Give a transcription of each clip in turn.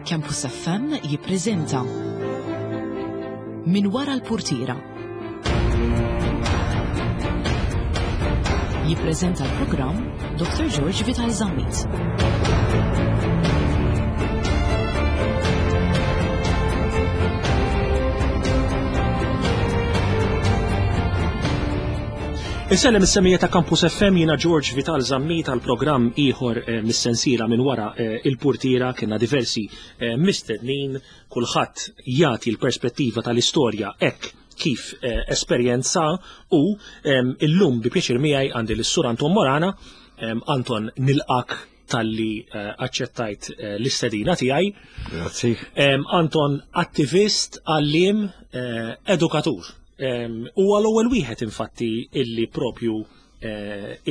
Campus FM jippreżenta Min wara l-purtiera. Jippreżenta l-programm Dr. George Vital Zammit. Insellem is-semija ta' Campus FM jiena George Vital Zammit għal programm ieħor eh, mis-sensiela minn wara eh, il-purtiera kienna diversi eh, mistednin kulħadd jagħti l-perspettiva tal-istorja hekk kif esperjenza u illum bi pjaċir miegħi għandi l-Sur Anton Morana. Anton nilqak talli aċċettajt l-istedina tiegħi. Grazzi. Anton attivist, għalliem, edukatur. Huwa l-ewwel wieħed infatti illi propju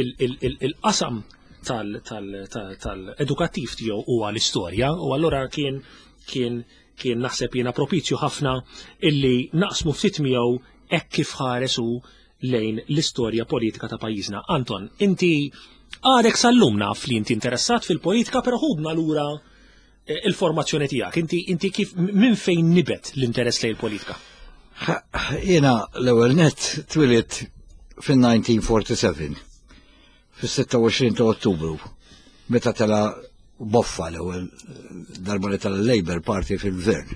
il-qasam tal-edukattiv tiegħu huwa l-istorja u allura kien kien kien naħseb jiena propizju ħafna illi naqsmu ftit miegħu hekk kif ħares hu lejn l-istorja politika ta' pajjiżna. Anton, inti għadek sal-lum naf li inti interessat fil-politika, però ħudna lura eh, il-formazzjoni tiegħek. Inti inti kif minn fejn nibet l-interess lejn il-politika? Jiena l-ewwel net twilit fin-1947 fis-26 ta' Ottubru meta tela boffa l-ewwel darba li tela Labour Party fil-gvern.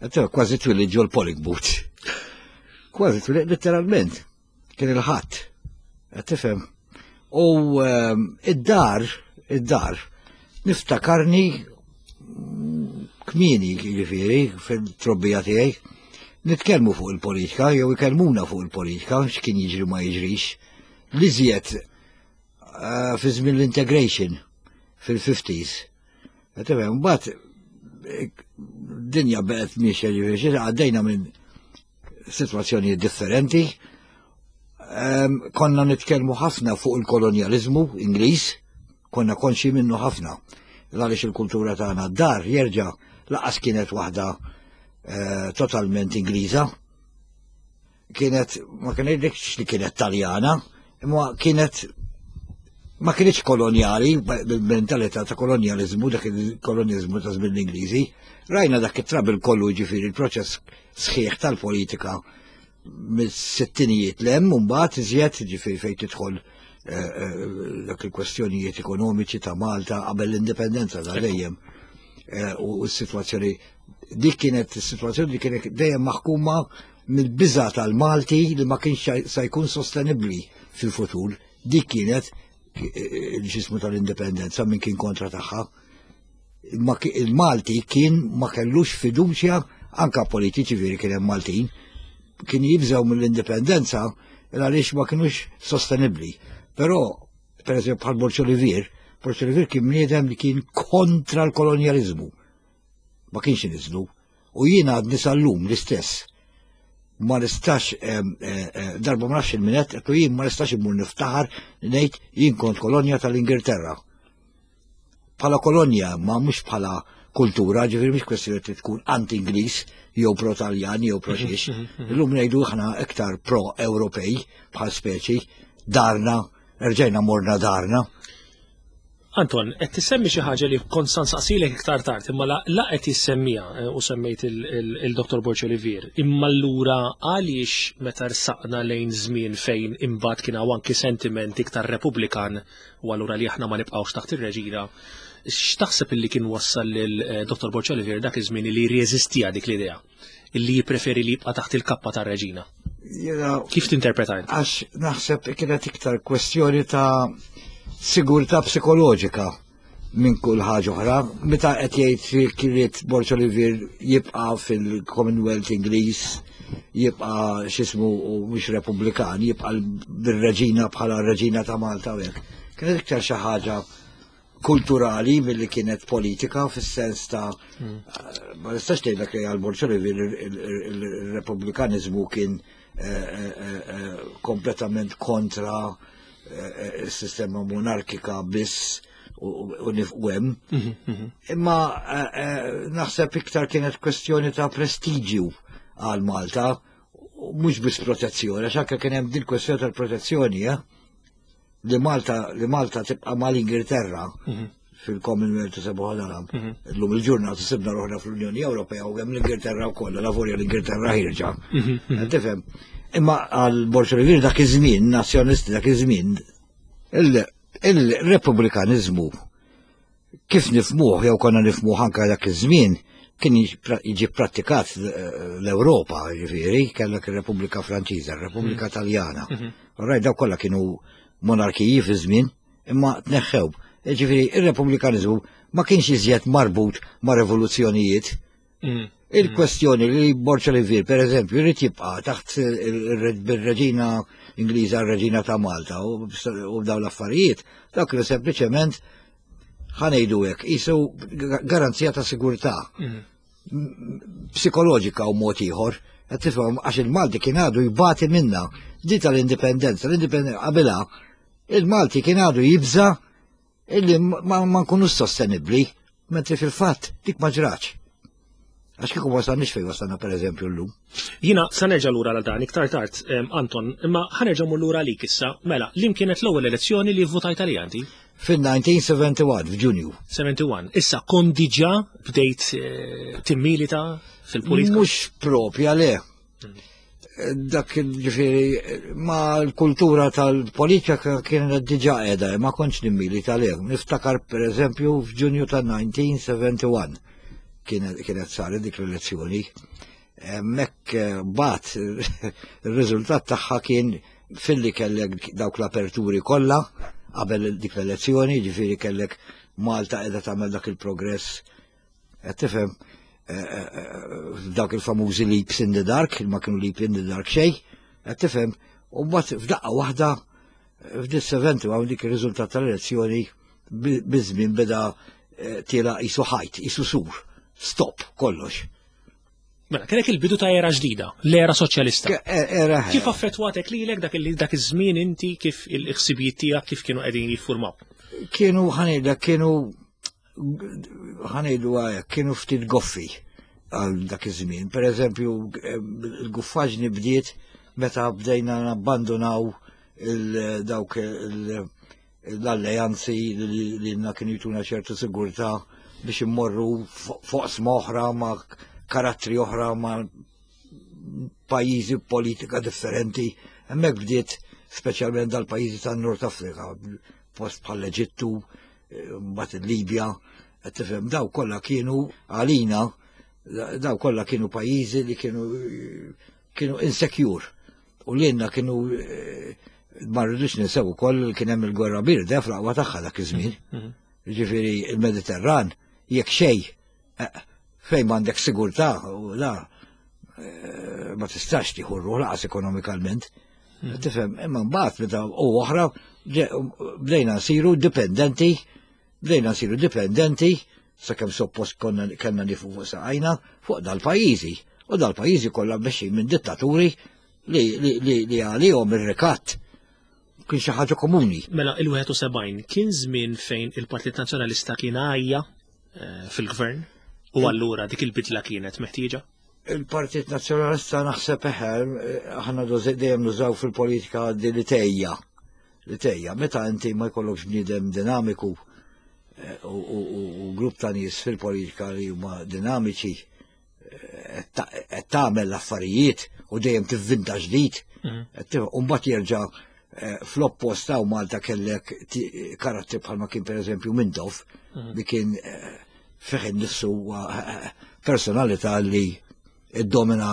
Kważi twili ġol polling booth. Kważi twili, letteralment, kien il-ħadd. Tifhem. U ehm, id-dar, id-dar, niftakarni kmieni jiġifieri fil-trobbija tiegħi, nitkellmu fuq il-politika jew ikellmuna fuq il-politika x'kien jiġri ma jiġrix. L-iżjed eh, fi żmien l-integration fil-50s. Tifhem, mbagħad eh, dinja beqgħet miexja ġifieri għaddejna minn sitwazzjonijiet differenti. Ehm, konna nitkellmu ħafna fuq il-kolonjaliżmu Ingliż, konna konxi minnu ħafna. Għaliex il-kultura tagħna d-dar jerġa' laqas kienet waħda eh, totalment Ingliża. Kienet, ma kienx li kienet Taljana, imma kienet ma kienx kolonjali, bil-mentalità ta' kolonjalizmu, dak il-kolonjalizmu ta' żmien l-Ingliżi. Rajna dak it-trabil kollu ġifieri il-proċess sħiħ tal-politika mis-sittinijiet l-hemm u mbagħad iżjed ġifieri fejn tidħol eh, eh, dak il-kwestjonijiet ekonomiċi ta' Malta qabel l-indipendenza ta' dejjem eh, u s-sitwazzjoni dik kienet is-sitwazzjoni li kienet dejjem maħkuma mill-biża tal-Malti li ma kienx se jkun sostenibbli fil-futur. Dik kienet il-ġismu tal-indipendenza minn kien kontra tagħha. Il-Malti kien ma kellux fiduċja anka politiċi veri kien hemm Maltin kien jibżgħu mill-indipendenza għaliex ma kienux sostenibbli. Però, per eżempju, bħal Borċ Olivier, Borċ Olivier kien bniedem li kien kontra l-kolonjalizmu. Ma kienx iniżlu. U jiena għadni sal-lum l-istess. Ma nistax, eh, eh, darba ma nafx il-minet, għettu jien ma nistax immur niftaħar ngħid jien kont kolonja tal-Ingilterra. Bħala kolonja, ma mhux bħala kultura, ġifieri mhix kwestjoni li tkun anti-Ingliż jew pro-Taljan jew pro-xiex. Mhm, mhm, mhm. Illum ngħidu aħna iktar pro-Ewropej bħal speċi, darna, rġajna morna darna. Anton, qed tissemmi xi ħaġa li kont sa nsaqsilek iktar tard, imma la, la qed jissemmiha eh, u semmejt il-Dr. Borg Olivier. Imma allura għaliex meta rsaqna lejn żmien fejn imbagħad kien hawn anki sentiment iktar Repubblikan u allura li aħna ma nibqgħux taħt ir-reġina, x'taħseb illi kien wassal lil eh, Dr. Borg Olivier dak iż-żmien li jirreżistiha dik l-idea? Illi jippreferi li jibqa' taħt il-kappa tar-reġina? Kif tinterpreta int? Għax naħseb kienet iktar kwestjoni ta' sigurtà psikoloġika minn kull ħaġa oħra. Meta qed jgħid kiriet Borġ Olivier jibqa' fil-Commonwealth Ingliż, jibqa' x'ismu u mhux Repubblikan, jibqa' bir-reġina bħala reġina ta' Malta u hekk. Kienet iktar xi ħaġa kulturali milli kienet politika fis-sens ta' hmm. ma nistax ngħidlek li għal Borġ Olivier il-Repubblikanizmu kien eh, eh, eh, kompletament kontra il-sistema monarkika biss u nifqu hemm. Mhm, mhm. Imma naħseb iktar kienet kwestjoni ta' prestiġju għal Malta, mhux biss protezzjoni, għax anke kien hemm din kwestjoni tal-protezzjoni, eh? li Malta li Malta tibqa' mal-Ingilterra mhm. fil-Commonwealth u sebuħa l-Arab. Illum il-ġurnata sibna ruħna fl-Unjoni Ewropea u hemm l-Ingilterra wkoll, la volja l-Ingilterra ħirġa. Tifhem? Imma għal Borg Olivier dak iż-żmien, nazzjonisti dak iż-żmien, il-Repubblikaniżmu kif nifmuh jew konna nifmuh anka dak iż-żmien kien jiġi prattikat l-Ewropa, ġifieri, kellek ir-Repubblika Franċiża, ir-Repubblika Taljana. Rajt daw kollha kienu monarkiji fi żmien, imma tneħħew. Ġifieri, ir-Repubblikaniżmu ma kienx iżjed marbut ma' revoluzzjonijiet. Il-kwestjoni li Borg Olivier, per eżempju, jrid jibqa' taħt il-reġina Ingliża, r-reġina ta' Malta u dawn l-affarijiet, dak li sempliċement ħa ngħidu hekk, jisu garanzija ta' sigurtà psikoloġika u mod ieħor, qed tifhem għax il-Malti kien għadu jbati minna di tal-indipendenza, l-indipendenza qabilha il-Malti kien għadu jibża illi ma nkunux sostenibbli, mentri fil-fatt dik ma ġratx. Għax kieku wasalniex fejn wasalna per eżempju llum. Jiena sa nerġa' lura għal dan iktar tard, Anton, imma ħa nerġa' mmur lura għalik issa. Mela, li kienet l-ewwel elezzjoni li votajt għalija inti? Fil-1971, f'Ġunju. 71. Issa kont diġà bdejt timmilita fil-politika? Mhux propja le. Dak ġifieri ma l-kultura tal-politika kienet diġà qiegħda, ma kontx nimmilita le. Niftakar per eżempju f'Ġunju tal-1971 kienet saret dik l-elezzjoni. Mek bat il-riżultat tagħha kien filli kellek dawk l-aperturi kollha qabel dik l-elezzjoni, ġifieri kellek Malta qiegħda tagħmel dak il-progress. Qed tifhem dawk il-famużi leaps in the dark, ma kienu leap in the dark xejn, qed tifhem, u mbagħad f'daqqa waħda f'dis 71 dik ir-riżultat tal-elezzjoni biż-żmien beda tiela jisu ħajt, jisu sur, stop, kollox. Mela, kellek il-bidu ta' era ġdida, l-era soċjalista. Era Kif affettwatek lilek dak li dak iż-żmien inti kif il-ħsibijiet tiegħek kif kienu qegħdin jiffurmaw? Kienu ħa ngħidlek, kienu ħa ngħidu għajek, kienu ftit goffi għal dak iż-żmien. Per eżempju, il-guffaġni bdiet meta bdejna nabbandonaw dawk l-alleanzi li na kienu jtuna ċertu sigurtà biex immorru fuq oħra ma' karattri oħra ma' pajjiżi politika differenti. Hemmhekk bdiet speċjalment dal-pajjiżi tan-Nord Afrika, post bħal Eġittu, mbagħad il-Libja, qed tifhem daw kollha kienu għalina, daw kollha kienu pajjiżi li kienu insecure. U li jenna kienu ma rridux ninsew ukoll kien hemm il-gwerra birda fl-aqwa tagħha dak iż-żmien. Ġifieri il-Mediterran jekk xejn fejn m'għandek sigurtà u la ma tistax tieħu ruħ laqas ekonomikalment. Tifhem, imma mbagħad meta u oħra bdejna nsiru dipendenti, bdejna nsiru dipendenti sakemm suppost konna kellna nieqfu fuq saqajna fuq dal-pajjiżi. U dal-pajjiżi kollha mmexxin minn dittaturi li għalihom ir-rikatt kien xi ħaġa komuni. Mela il-71 kien żmien fejn il-Partit Nazzjonalista kien għajja fil-gvern u allura dik il-bidla kienet meħtieġa? Il-Partit Nazzjonalista naħseb eħe, aħna dejjem nużaw fil-politika di li tejja. Li tejja, meta inti ma jkollokx bniedem dinamiku u grupp ta' nies fil-politika li huma dinamiċi qed tagħmel l-affarijiet u dejjem tivvinta ġdid. U mbagħad jerġa' fl-oppost ta' Malta kellek karattri bħalma kien pereżempju Mintoff li kien fih innifsu personalità li iddomina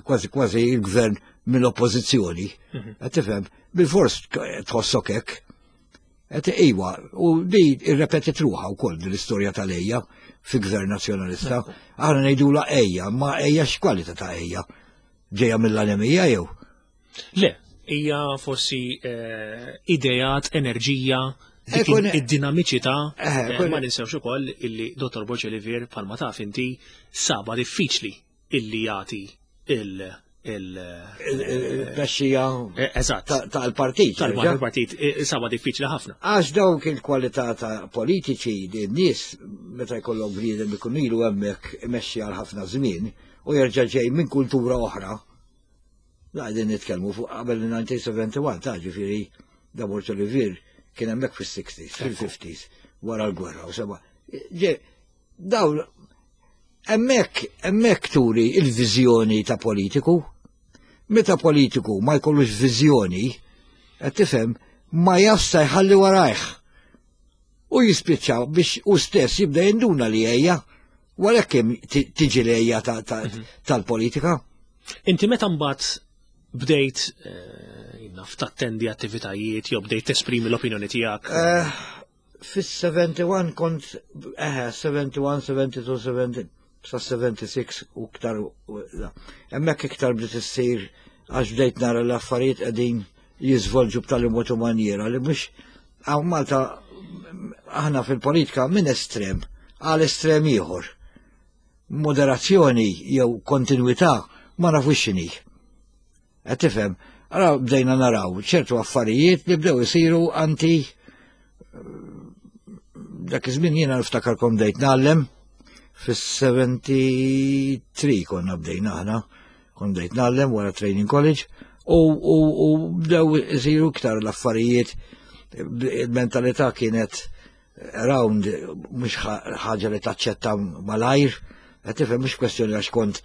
kważi kważi il-gvern mill-oppożizzjoni. Qed tifhem, bil-fors tħossok hekk. Qed iwa, u di irrepetit ruħha wkoll din l-istorja tal-ejja fi gvern nazzjonalista. Aħna ngħidula ejja, ma ejja x'kwalità ta' ejja? Ġejja mill-anemija jew? Le, hija forsi ideat, enerġija, dik id-dinamiċità. Ma ninsewx ukoll illi Dottor Borg Olivier bħalma taf inti saba diffiċli illi jagħti il-tmexxija Eżatt. tal-partit. Tal-partit, saba diffiċli ħafna. Għax dawk il-kwalità ta' politiċi li n-nies meta jkollhom bniedem ikun ilu hemmhekk imexxi għal ħafna żmien u jerġa' ġej minn kultura oħra. La qegħdin nitkellmu fuq qabel il-1971 ta' ġifieri da Borg Olivier kien hemmhekk fis-60s, fil-50s. wara l-gwerra u seba. Dawn hemmhekk hemmhekk turi il-viżjoni ta' politiku. Meta politiku ma jkollux viżjoni, qed tifhem, ma jafx jħalli warajh. U jispiċċa biex u stess jibda jinduna li ejja, wara kemm tiġi l-ejja tal-politika. Inti meta mbagħad bdejt naf tattendi attivitajiet jew bdejt tesprimi l-opinjoni tiegħek? Fis-71 kont, 71, 72, 70, sa 76 u iktar, hemmhekk iktar bdiet issir għax bdejt nara l-affarijiet qegħdin jiżvolġu b'tali mod u manjiera li mhux hawn Malta aħna fil-politika minn estrem għal estrem ieħor. Moderazzjoni jew kontinwità ma nafux x'inhi. Qed tifhem? Ara bdejna naraw ċertu affarijiet li bdew isiru anti dak iż-żmien jiena niftakar kont bdejt ngħallem fis-73 konna bdejna aħna, kont bdejt ngħallem wara training college u bdew isiru iktar l-affarijiet, il-mentalità kienet around mhux ħaġa li taċċetta malajr, qed tifhem mhux kwestjoni għax kont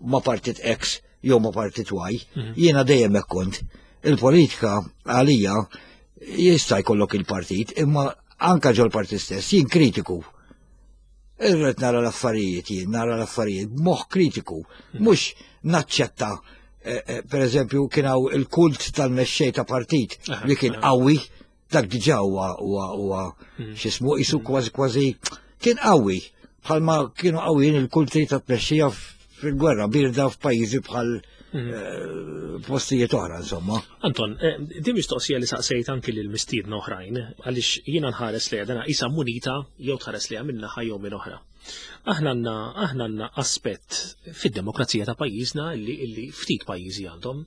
ma' partit X jew ma' partit Y, jiena dejjem hekk kont. Il-politika għalija jista' jkollok il-partit, imma anka ġol partit stess, jien kritiku. Irrid nara l-affarijiet, jien nara l-affarijiet b'moħħ kritiku, mhux naċċetta per eżempju kien hawn il-kult tal-mexxej ta' partit li kien qawwi, dak diġà huwa x'ismu qisu kważi kważi kien qawwi bħalma kienu qawwijin il-kulti ta' tmexxija fil-gwerra birda f'pajjiżi bħal postijiet oħra, insomma. Anton, din mistoqsija li saqsejt anki lil mistiedna oħrajn, għaliex jiena nħares lejha dana qisha munita jew tħares lejha minn naħa jew minn oħra. Aħna għandna aspett fid-demokrazija ta' pajjiżna illi ftit pajjiżi għandhom.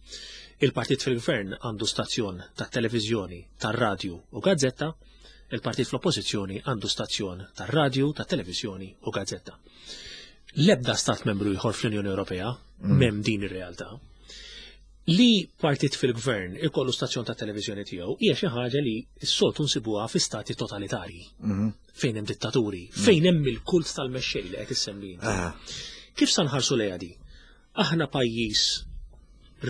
Il-partit fil-gvern għandu stazzjon tat-televiżjoni, tar-radju u gazzetta, il-partit fl-oppożizzjoni għandu stazzjon tar-radju, tat-televiżjoni u gazzetta. L-ebda stat membru ieħor fl-Unjoni Ewropea m'hemm din ir-realtà. Li partit fil-gvern ikollu stazzjon ta' televiżjoni tiegħu hija xi ħaġa li s-soltu nsibuha fi stati totalitarji, fejn hemm dittaturi, fejn hemm il-kult tal-mexxej li qed issemmi inti. Kif sa nħarsu lejha di? Aħna pajjiż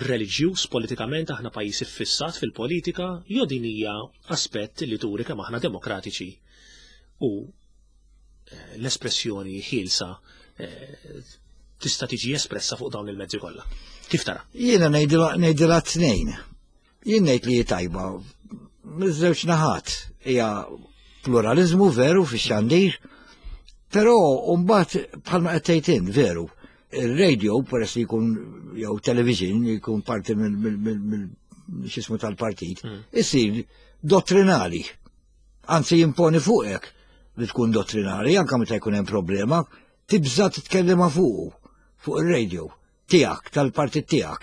reliġjuż politikament, aħna pajjiż iffissat fil-politika, jew din hija aspett li turi kemm aħna demokratiċi u l-espressjoni ħielsa tista' tiġi espressa fuq dawn il-mezzi kollha. Kif tara? Jiena ngħidilha tnejn. Jien ngħid li tajba miż-żewġ naħat hija pluralizmu veru fix-xandir, però mbagħad bħalma qed tgħid int veru, il-radio peress li jkun jew television jkun parti mill x'ismu tal-partit, isir dottrinali. Anzi jimponi fuqek li tkun dottrinali, anke meta jkun hemm problema, tibża titkellem fuqu, fuq il-radio tiegħek, tal-partit tiegħek.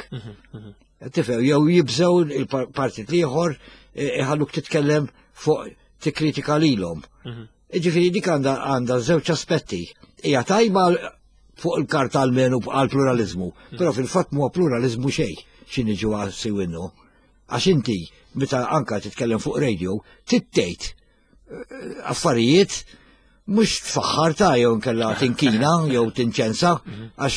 Tifhem, jew jibżgħu il-partit l-ieħor iħalluk titkellem fuq tikkritika lilhom. Ġifieri dik għandha żewġ aspetti. Hija tajba fuq il-karta almenu għal pluralizmu, però fil-fatt huwa pluralizmu xejn x'inhi ġewwa siwinnu. Għax inti meta anka titkellem fuq radio, tittejt affarijiet mhux tfaħħar ta' jew nkella tinkina jew tinċensa, għax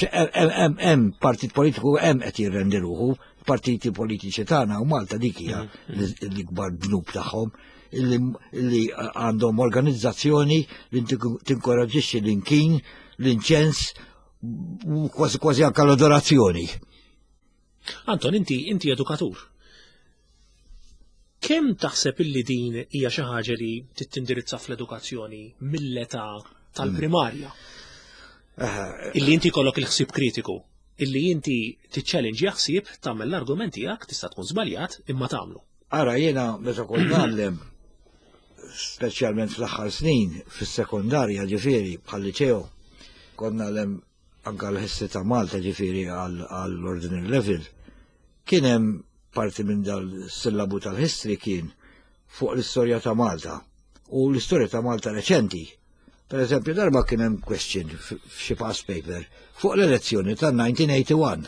hemm partit politiku hemm qed jirrendi ruħu, partiti politiċi tagħna u Malta dik hija l-ikbar dnub tagħhom illi għandhom organizzazzjoni li tinkoraġġixxi l-inkin, l-inċens, u kważi kważi anke l-adorazzjoni. Anton, inti edukatur. Kemm taħseb illi din hija xi ħaġa li tittindirizza fl-edukazzjoni mill-età tal-primarja? Illi inti jkollok il-ħsieb kritiku, illi inti tiċċellinġja ħsieb, tagħmel l-argument tiegħek, tista' tkun żbaljat, imma tagħmlu. Ara, jiena meta kont ngħallem, speċjalment fl-aħħar snin, fis-sekondarja ġifieri bħal-liċeo, kont ngħallem anka l-ħissi ta' Malta ġifieri għall-ordinary level, kien hemm parti minn dal-sillabu tal-history kien fuq l-istorja ta' Malta u l-istorja ta' Malta reċenti. Per eżempju, darba kien hemm question f'xi past paper fuq l-elezzjoni ta' 1981.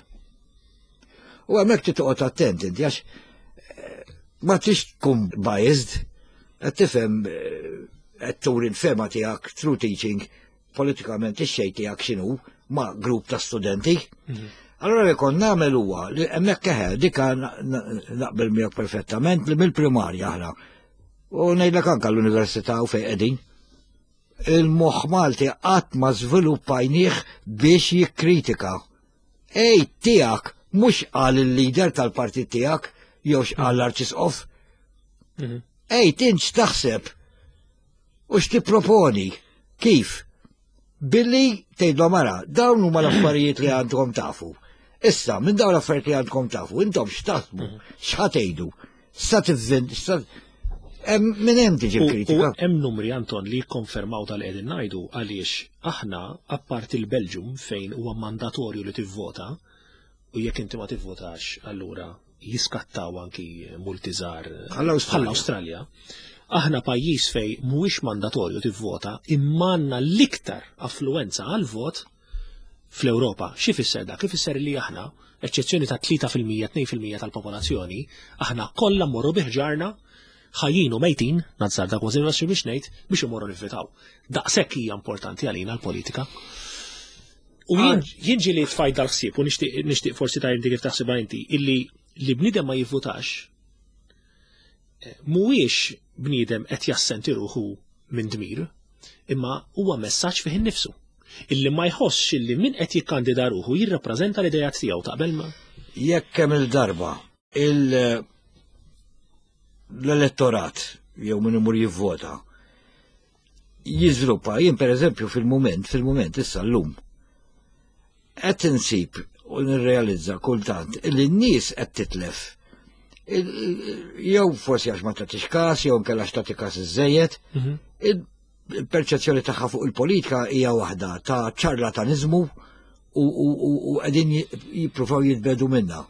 U hemmhekk trid toqgħod attent inti għax ma tix tkun biased, qed tifhem. qed turi l-fema tiegħek through teaching politikament ix-xejn tiegħek x'inhu ma' grupp ta' studenti. Allora li kont nagħmel huwa li hemmhekk eħe dika naqbel miegħek perfettament li mill-primarja aħna. U ngħidlek anke l-università u fejn qegħdin. Il-moħħ Malti qatt ma żviluppajnieh biex jikkritika. Ej tiegħek mhux qal il-leader tal-partit tiegħek jew x'qal l-arċisqof. Ej tint x'taħseb u x'tipproponi kif? Billi tgħidlhom ara, dawn huma l-affarijiet li għandkom tafu. Issa, minn dawn l-affarijiet li għandkom tafu, intom x'taħsbu, x'ħa tgħidu, sa tivvint, sa minn hemm tiġi kritika. Hemm numri Anton li jikkonfermaw dal qegħdin ngħidu għaliex aħna apparti l-Belġium fejn huwa mandatorju li tivvota u jekk inti ma tivvotax allura jiskattaw anki multi żgħar bħall-Awstralja. Aħna pajjiż fej mhuwiex mandatorju tivvota imma għandna l-iktar affluwenza għal-vot fl-Ewropa. Xi fisser dak? Ifisser li aħna, eċċezzjoni ta' 3% 2% tal-popolazzjoni, aħna kollha mmorru biħġarna ħajjin u mejtin, nazzarda kważi biex ngħid, biex imorru nivvitaw. Daqshekk hija importanti għalina l-politika. U jien ġieli tfajt dal-ħsieb u nixtieq forsi ta' inti kif taħsibha inti, illi li bniedem ma jivvutax eh, mhuwiex bniedem qed jassenti ruħu minn dmir, imma huwa messaġġ fih innifsu. Illi ma jħossx illi min qed jikkandida ruħu jirrappreżenta l-idejat tiegħu taqbel ma. Jekk kemm il-darba l-elettorat jew min imur jivvota jiżviluppa, jien pereżempju fil-mument, fil-mument issa llum, qed insib u nirrealizza kultant li n-nies qed titlef. Jew forsi għax ma tagħtix każ, jew inkella għax tagħti każ iżejjed. Mhm. Il-perċezzjoni tagħha fuq il-politika hija waħda ta' ċarlataniżmu u qegħdin jippruvaw jitbedu minna.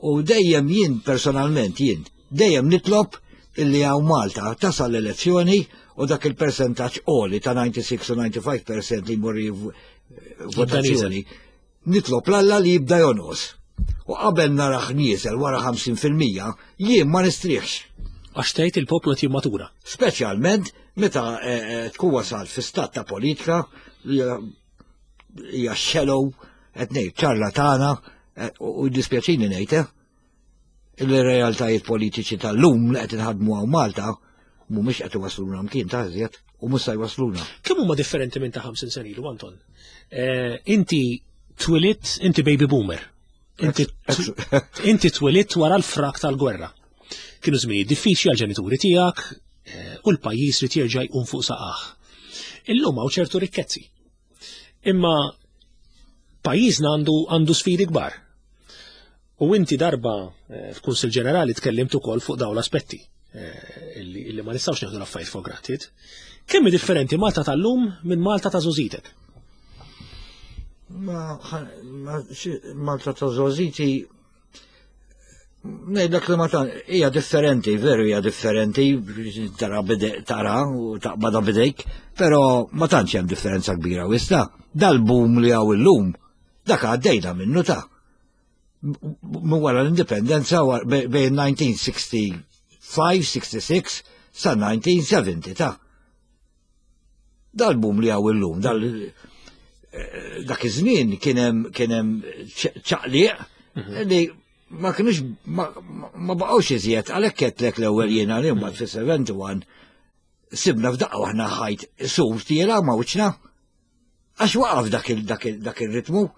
U dejjem jien personalment jien dejjem nitlob illi hawn Malta tasal l-elezzjoni u dak il-percentaġġ għoli ta' 96 u 95% li jmur votazzjoni. Nitlob l-Alla li jibda jonqos. U qabel naraħ nieżel wara 50% jien ma nistrieħx. Għax tgħid il-poplu qed jimmatura. Speċjalment meta eh, eh, tkun wasal fi stat ta' politika li hija shallow, qed ngħid ċarlatana eh, u dispjaċini ngħid eh, il-realtajiet politiċi tal-lum li qed inħadmu hawn Malta mhumiex qed iwasluna mkien ta' iżjed u mhux se jwasluna. Kemm huma differenti minn ta' 50 sena ilu, Anton? Eh, inti twilidt, inti baby boomer. Inti twilidt wara l-frak tal-gwerra. Kienu żminijiet diffiċli għal-ġenituri tiegħek u l-pajjiż li jerġa' jqum fuq saqah. Illum hawn ċertu rikkezzi. Imma pajjiżna għandu għandu sfidi kbar. U inti darba eh, f'Kunsil Ġenerali tkellimt ukoll fuq dawn l-aspetti eh, illi ma nistgħux nieħdu l-affarijiet for granted. Kemm hi differenti Malta tal-lum minn Malta ta' żożitek? Ma, Malta ta' żożiti Ngħidlek li ma tan hija differenti, veru hija differenti, tara tara u taqbadha bidejk, però ma tantx hemm differenza kbira u issa dal-boom li hawn illum dak għaddejna minnu ta' minn wara l-indipendenza bejn 1965, 66 sa 1970 ta' Dal-boom li hawn illum, dal eh, dak iż-żmien kien hemm kien hemm ċaqliq mhm. li ma kienux ma baqgħux iżjed għalhekk qedlek l-ewwel jiena li mbagħad fis-71 sibna f'daqqa waħna ħajt sur tiela ma wiċċna. Għax waqaf dak il-ritmu.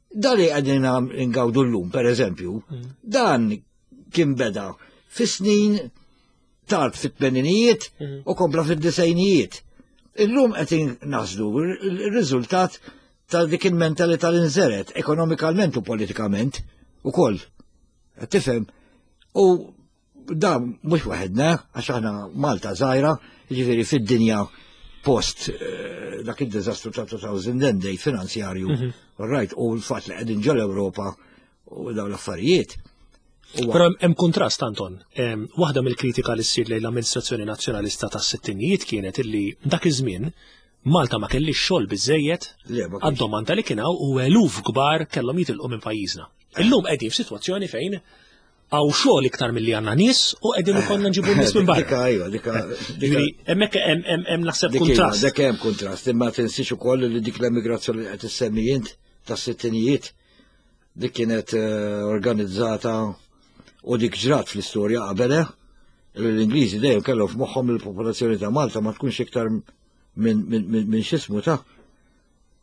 Dan li qegħdin ngawdu llum, per eżempju, mm. dan kien beda fis-snin tard fit-tmeninijiet mm. u kompla fid-disejnijiet. Illum qed naħsdu r-riżultat ta' dik il-mentalità li nżeret ekonomikalment u politikament ukoll. Tifhem? U Da mhux waħedna, għax aħna Malta żgħira, jiġifieri fid-dinja post eh, dak id-diżastru ta' 2008 finanzjarju, mhm. right, u l-fatt li qegħdin ġol Ewropa u dawn l-affarijiet. Però hemm kontrast Anton. Waħda mill-kritika li ssir lejn l-amministrazzjoni nazzjonalista tas-sittinijiet kienet illi dak iż-żmien Malta ma kellix xogħol biżejjed għad-domanda li kien hawn u eluf kbar kellhom jitilqu minn pajjiżna. Illum qegħdin f'sitwazzjoni fejn. Hawn xogħol iktar milli għandna nies u qegħdin ikollna nġibu nies minn barra. Dika ejwa, dika. Ġifieri hemmhekk hemm naħseb iva, kuntrast. Dik hemm kuntrast, imma tinsiex ukoll li dik l-emigrazzjoni li qed issemmi int tas-sittinijiet dik kienet eh, organizzata u dik ġrat fl-istorja qabel eh, l-Ingliżi dejjem kellhom f'moħħhom il-popolazzjoni ta' Malta ma tkunx iktar minn x'ismu ta'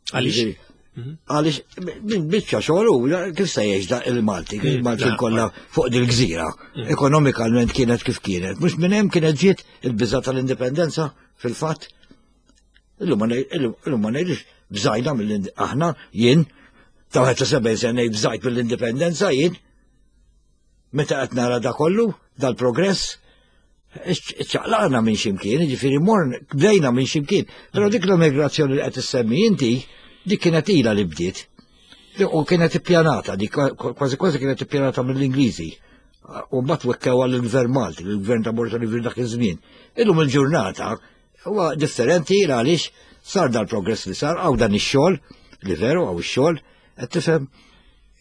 Għaliex? Mhm. Għaliex minn biċċa xogħol u kif se jgħix da il-Malti, mm, il-Malti kollha fuq dil-gżira. Mm. Ekonomikalment kienet kif kienet. Mhux minn hemm kienet ġiet il-biża tal-indipendenza fil-fatt. Illum ma ngħidx bżajna mill aħna jien ta' 71 sena ngħid bżajt mill-indipendenza jien. Meta qed nara da kollu, dal-progress, ċaqlaqna minn ximkien, ġifiri morn, bdejna minn ximkien. Pero dik l-immigrazzjoni li qed issemmi inti, dik kienet ila li bdiet. U kienet ippjanata, dik kważi kważi kienet ippjanata mill-Ingliżi. U mbagħad wekkew għall-Gvern Malti, l-Gvern ta' Borġa li dak iż-żmien. Illum il-ġurnata huwa differenti għaliex sar dal-progress li sar, għaw dan ix-xogħol, li veru għaw ix-xogħol, qed tifhem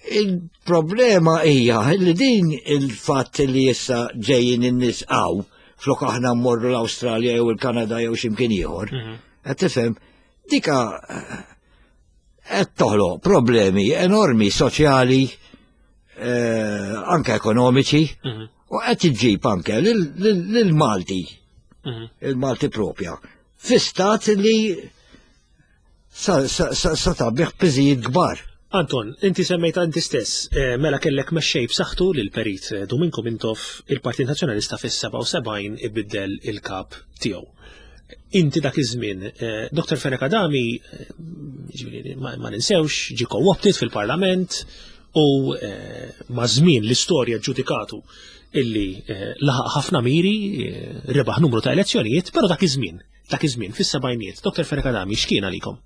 Il-problema hija li din il-fatt li issa ġejjin in-nies hawn flok aħna mmorru l-Awstralja jew il-Kanada jew x'imkien ieħor. Mhm. Qed tifhem dika eh, qed toħloq problemi enormi soċjali eh, anke ekonomiċi mhm. u qed iġġib anke lill-Malti mhm. il-Malti propja fi stat li sa tgħabbih b'piżijiet kbar. Anton, inti semmejta inti stess, eh, mela kellek mexxej b'saħħtu lil perit eh, Dominko Mintoff il-Partit Nazzjonalista fis-77 ibiddel il-kap tiegħu. Inti dak iż-żmien, eh, Dr. Fenech Adami, ġifieri, ma ninsewx, ġie co-opted fil-Parlament u ma' żmien l-istorja ġudikatu illi laħaq ħafna miri, rebaħ numru ta' elezzjonijiet, però dak iż-żmien Dak iż-żmien, fis-sebgħinijiet, Dr. Fenech Adami x'kien għalikom?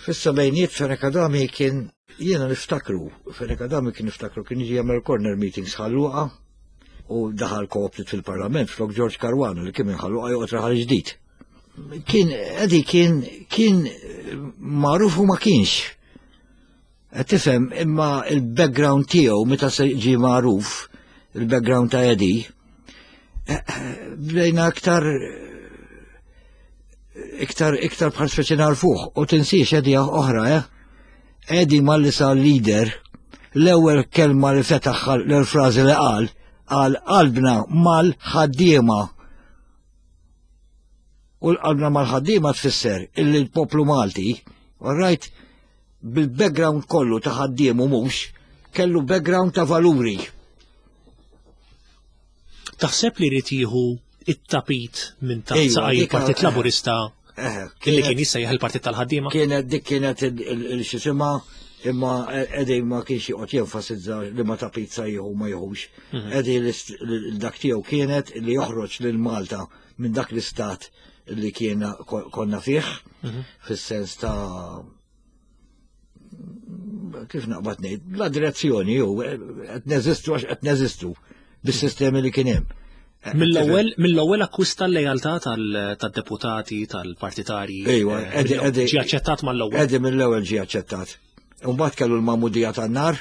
Fis-sebgħinijiet Fenech Adami kien jiena niftakru, Fenech Adami kien niftakru kien jiġi jagħmel corner meetings Ħal Luqa u daħal co-opted fil-Parlament flok George Caruana li kien minn Ħal Luqa joqgħod Raħal Ġdid. Kien Eddie kien kien magħruf u ma kienx. Qed tifhem imma il-background tiegħu meta se ġie magħruf, il-background ta' Eddie, eh, bdejna aktar iktar iktar bħal speċi narfuh u tinsiex Eddie oħra, eh? Eddie malli sar leader, l-ewwel kelma li fetaħ l-frażi li qal, qal qalbna mal-ħaddiema. U l-qalbna mal-ħaddiema tfisser illi l-poplu Malti, all right, bil-background kollu ta' ħaddiem u mhux, kellu background ta' valuri. Taħseb li jrid jieħu it-tapit minn taħt saqaj il-Partit Laburista eh, li kien jissejjaħ il-Partit tal-Ħaddiema? Kienet dik kienet il-xisima imma Eddie ma kienx joqgħod jenfasizza li ma tapit sa jieħu ma jieħux. Mhm. Eddie dak tiegħu kienet li joħroġ lil Malta minn dak l-istat li kien konna fih, mhm. fis-sens ta' kif naqbad ngħid, la direzzjoni jew qed neżistu għax qed neżistu bis-sistemi li kien hemm. Mill-ewwel mill-ewwel akkwista l-lejaltà tad-deputati tal-partitarji. Ejwa, eh, ġie aċċettat mal-ewwel. Eddie mill-ewwel ġie aċċettat. Imbagħad kellu l-magħmudija tan-nar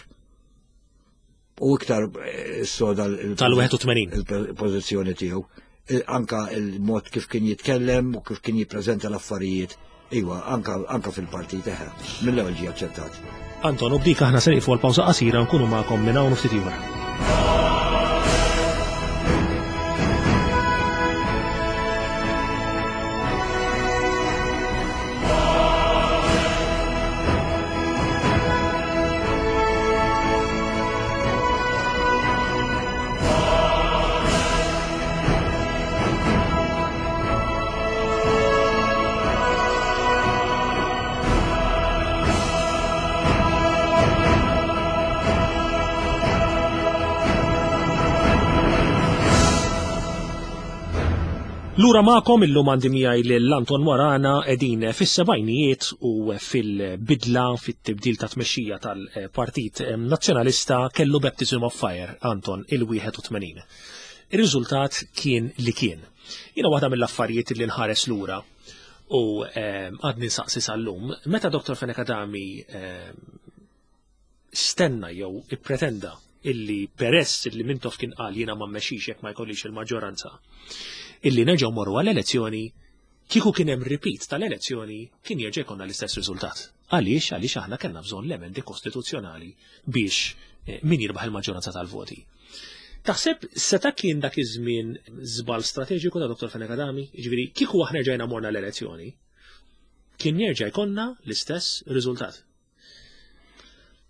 u iktar eh, soda tal-81 il-pożizzjoni tiegħu. Anka il-mod kif kien jitkellem u kif kien jippreżenta l-affarijiet. Iwa, anka, anka fil-partit eħe, mill-ewwel ġie aċċettat. Anton, u b'dik aħna se nieqfu għal pawża qasira nkunu magħkom minn hawn ftit ieħor. Lura magħkom illum għandi miegħi lil Anton Morana qegħdin fis-sebgħinijiet u fil-bidla fit-tibdil ta' tmexxija tal-Partit Nazzjonalista kellu baptism of fire Anton il-81. Ir-riżultat kien li kien. Jiena waħda mill-affarijiet li nħares lura u għadni nsaqsi sal-lum, meta Dr. Fenech Adami stenna jew ippretenda illi peress illi Mintoff kien qal jiena ma mmexxix jekk ma jkollix il-maġġoranza, illi nerġgħu morru għall-elezzjoni, kieku kien hemm repeat tal-elezzjoni kien jerġa' jkollna l-istess riżultat. Għaliex? Għaliex aħna kellna bżonn l-emendi kostituzzjonali biex eh, min jirbaħ il-maġġoranza tal-voti. Taħseb seta' kien dak iż-żmien żball strateġiku ta' Dr. Fenech Adami? Jiġifieri kieku aħna rġajna morna l-elezzjoni, kien jerġa' jkollna l-istess riżultat.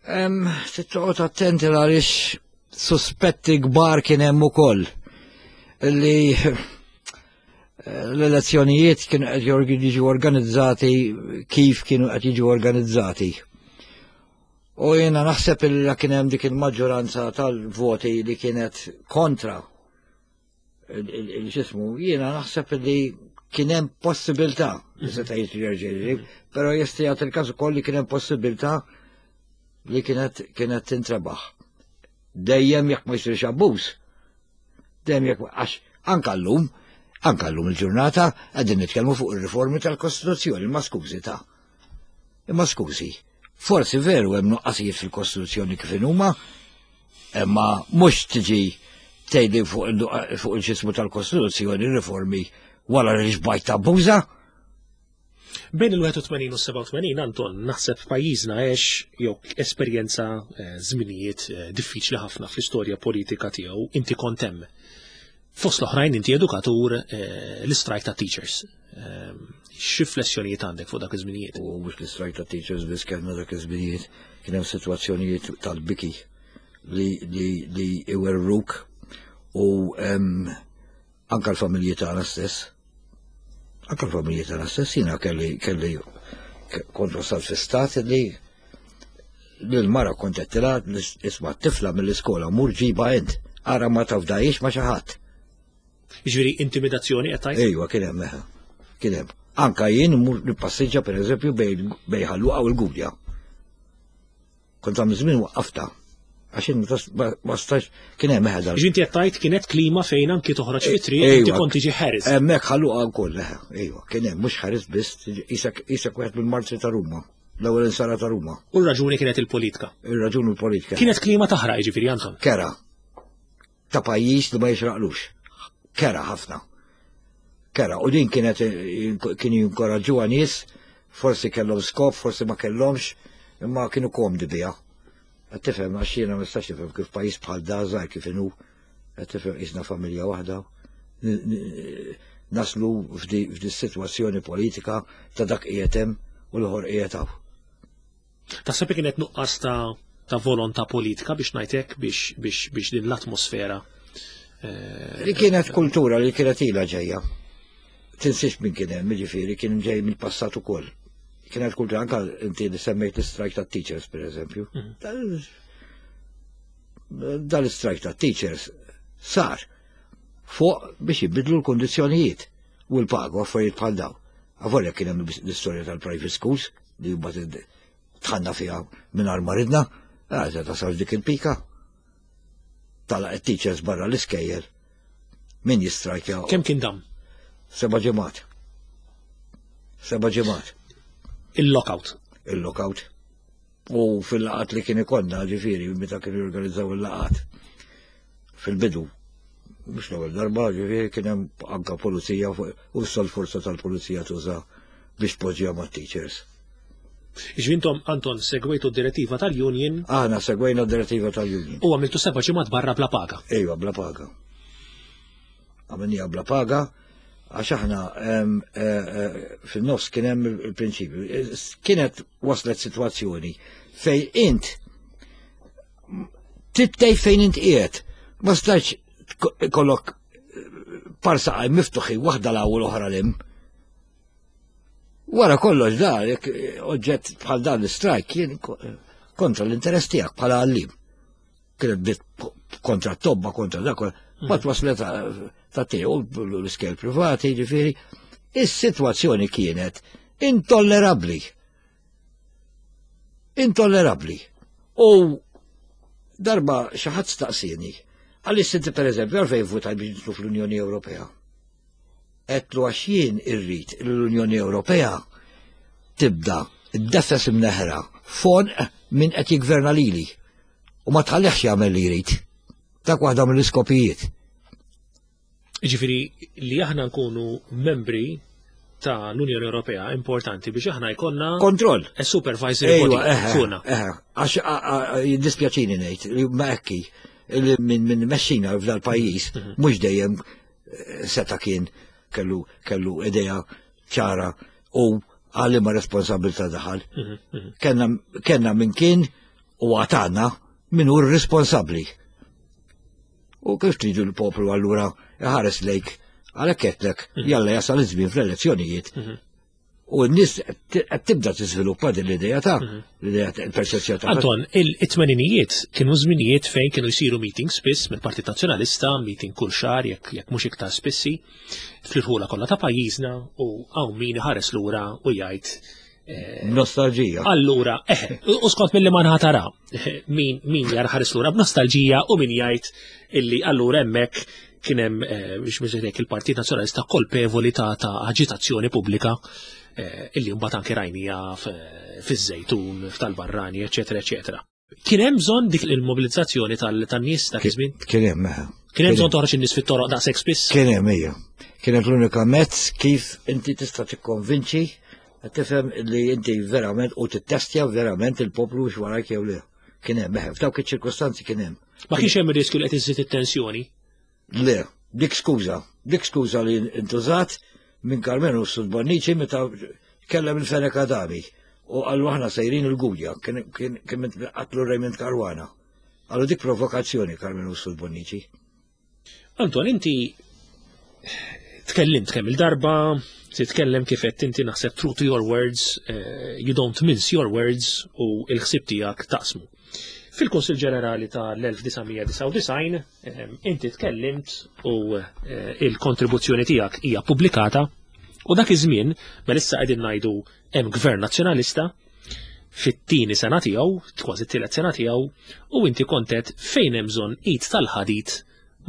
Trid toqgħod attenti għaliex suspetti kbar kien hemm ukoll li eh, l-elezzjonijiet kienu qed jiġu organizzati kif kienu qed jiġu organizzati. U jiena naħseb li kien hemm dik il-maġġoranza tal-voti li kienet kontra il-ġismu, jiena naħseb li kien hemm possibilità li seta' jiġri però jista' jagħti il-każ ukoll li kien hemm possibilità li kienet kienet tintrebaħ. Dejjem jekk ma jsirx abbuż. Dejjem jekk għax anka llum, anka llum il-ġurnata qegħdin nitkellmu fuq ir-riformi tal-Kostituzzjoni, ma skużi ta' Imma skużi, forsi veru hemm nuqqasijiet fil-Kostituzzjoni kif inhuma, imma mhux tiġi tgħidli fuq il-ġismu tal-Kostituzzjoni riformi wara li xbajt tabbuża. Bejn il-81 u 87 Anton naħseb pajjiżna għex jew esperjenza eh, żminijiet eh, diffiċli ħafna fl-istorja politika tiegħu inti kont hemm. Fost l-oħrajn inti edukatur eh, l-istrajk ta' teachers. Ehm, x'riflessjonijiet għandek fuq dak iż-żminijiet? U mhux l-istrajk ta' teachers biss kellna dak iż-żminijiet, kien hemm sitwazzjonijiet tal-biki li li li iwerruk u ehm, anka l-familji tagħna stess. Anka l-familji tagħna stess jiena kelli kelli kont wasal fi stat li l-mara kont qed isma' tifla mill-iskola mur ġiba int, ara ma tafdajiex ma xi ħadd. Jiġifieri intimidazzjoni qed tgħid? Ejwa, kien hemm eħe. Kien hemm. Anka jien mur nippassiġġa pereżempju bejn bejn Ħalluqa u l-Gudja. Kont għam żmien waqqafta. Għax jien ma stax kien hemm eħe dal. Ġinti qed tgħid kienet klima fejn anki toħroġ fit-triq inti kont tiġi ħares. Hemmhekk Ħalluqa wkoll eħe, ejwa, kien hemm mhux ħares biss, isek wieħed mill-martri ta' Ruma l-ewwel insara ta' Ruma. U r-raġuni kienet il-politika. Ir-raġuni l-politika. Kienet klima taħraq jiġifieri Anton. Kera. ta' pajjiż li ma jixraqlux. Kera ħafna. Kera, u din kienet kienu jinkoraġġuha nies, forsi kellhom skop, forsi ma kellhomx, imma kienu komdi biha. Qed tifhem għax jiena ma nistax nifhem kif pajjiż bħal da żgħir kif inhu, qed tifhem qisna familja waħda. Naslu f'di sitwazzjoni politika ta' dak qiegħed hemm u l-ieħor qiegħed hawn. Taħseb li kienet nuqqas ta' ta' volontà politika biex ngħidlek biex biex biex din l-atmosfera. Eh, li kienet kultura li kienet ilha ġejja. Tinsiex minn kien hemm, jiġifieri kien ġej mill-passat ukoll. Kienet kultura anka inti li semmejt l-strike ta' teachers pereżempju. Mhm. Dal-strike ta' teachers sar fuq biex jibidlu l-kondizzjonijiet u l-pagu affarijiet bħal daw. Avolja kien hemm l-istorja tal-private schools li mbagħad tħanna fiha mingħajr ma ridna, għażel eh, tasal dik il-pika. Tala teachers barra l-iskejjel. Min jistrajkja? Kemm kien dam? Seba' ġimgħat. Seba' ġimgħat. Il-lockout. Il-lockout. U fil-laqat li kien ikollna, ġifieri, meta kienu jorganizzaw il-laqat fil-bidu, mhux l-ewwel darba, ġifieri kien hemm anka pulizija u l forza tal-pulizija tuża biex tpoġġiha mat-teachers. Ġvintom, Anton, segwejtu d-direttiva tal-union? Aħna segwejna d-direttiva tal-union. U għamiltu seba' ġimgħat barra bla paga? Ejwa, bla paga. Għamilniha bla paga, għax aħna eh, eh, fin-nofs kien hemm il-prinċipju. Kienet waslet sitwazzjoni fejn int tittej fejn int qiegħed. Ma stax kollok parsa għaj miftuħi waħda l-ewwel oħra l Wara kollox da, jekk oġġett bħal dan l-strajk kien kontra l-interess tiegħek bħala għallim. Kienet bdiet kontra t-tobba, kontra dak, ma waslet ta' tiegħu l-iskel privati, ġifieri. Is-sitwazzjoni kienet intollerabbli. Intollerabbli. U darba xi ħadd staqsieni, għaliex inti pereżempju għalfejn votaj biex nidħlu fl-Unjoni Ewropea? Għedtlu għax jien irrid li l-Unjoni Ewropea tibda ddeffes imneħra fonq min qed jiggverna lili. U ma tħallihx jagħmel li jrid. Dak waħda mill-iskopijiet. Ġifieri li aħna nkunu membri ta' l-Unjoni Ewropea importanti biex aħna jkollna kontroll. A supervisory body fuqna. Għax jiddispjaċini ngħid li ma hekki li minn min mexxina f'dal pajjiż mhm. mhux dejjem eh, seta' kien kellu kellu idea ċara u għalli ma responsabilta daħal. Mhm, mhm. Kenna, kenna minn kien u għatana min hu responsabbli. U kif tridu l-poplu allura iħares lejk għalhekk qedlek mhm. jalla jasal iż-żmien fl-elezzjonijiet. Mhm. U n-nies qed tibda tiżviluppa din l-idea ta' mhm. l-idea il-perċezzjoni ta' Anton, it-tmeninijiet kienu żminijiet fejn kienu jsiru meetings spiss mill-Partit Nazzjonalista, meeting kull xahar jekk jekk mhux iktar spissi, fl-irħula kollha ta' pajjiżna u hawn min iħares lura u jgħid Eh, Nostalġija. Allura, eh, u skont mill-li ma tara, eh, min, min jar ħares lura b'nostalġija u min jgħid illi allura hemmhekk kien hemm eh, biex mhux il-Partit Nazzjonalista kolpevoli ta' ta' aġitazzjoni pubblika illi mbagħad anke rajnija fiż-żejtun, f'tal-barrani, eċetera, eċetera. Kien hemm bżonn dik il-mobilizzazzjoni tan-nies dak iż-żmien? Kien hemm, eh. Kien hemm bżonn toħroġ in-nies fit-toroq daqshekk spiss? Kien hemm hija. Kienet l-unika mezz kif inti tista' tikkonvinċi tifhem li inti verament u tittestja verament il-poplu x'warajk jew le. Kien hemm, eh, f'dawk iċ-ċirkustanzi kien hemm. Ma kienx hemm riskju li qed iżżid it-tensjoni? Le, dik skuża, dik skuża li intużat minn Karmenu Sud Bonnici meta kellem il-Fenek Adami u qallu aħna sejrin il-Gudja, kien qatlu Raymond Caruana. Qallu dik provokazzjoni Karmenu Sud Bonnici. Anton, inti tkellimt kemm il-darba, titkellem kif qed inti naħseb true to your words, eh, you don't mince your words u il-ħsieb tiegħek taqsmu. Fil-Kunsill Ġenerali tal-1999 eh, inti tkellimt u eh, il-kontribuzzjoni tiegħek hija pubblikata u dak iż-żmien mela issa qegħdin ngħidu hemm gvern nazzjonalista fit-tieni sena tiegħu, kważi t-tielet sena tiegħu, u inti kontet fejn hemm bżonn id tal-ħadid